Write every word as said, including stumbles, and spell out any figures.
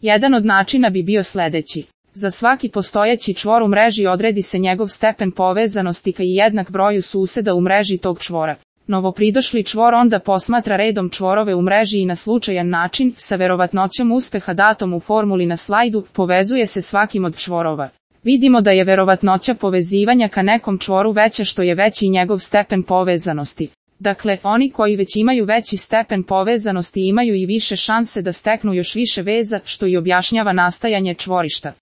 Jedan od načina bi bio sledeći. Za svaki postojeći čvor u mreži odredi se njegov stepen povezanosti ka i jednak broju suseda u mreži tog čvora. Novopridošli čvor onda posmatra redom čvorove u mreži i na slučajan način, sa verovatnoćom uspeha datom u formuli na slajdu, povezuje se svakim od čvorova. Vidimo da je verovatnoća povezivanja ka nekom čvoru veća što je veći njegov stepen povezanosti. Dakle, oni koji već imaju veći stepen povezanosti imaju i više šanse da steknu još više veza, što i objašnjava nastajanje čvorišta.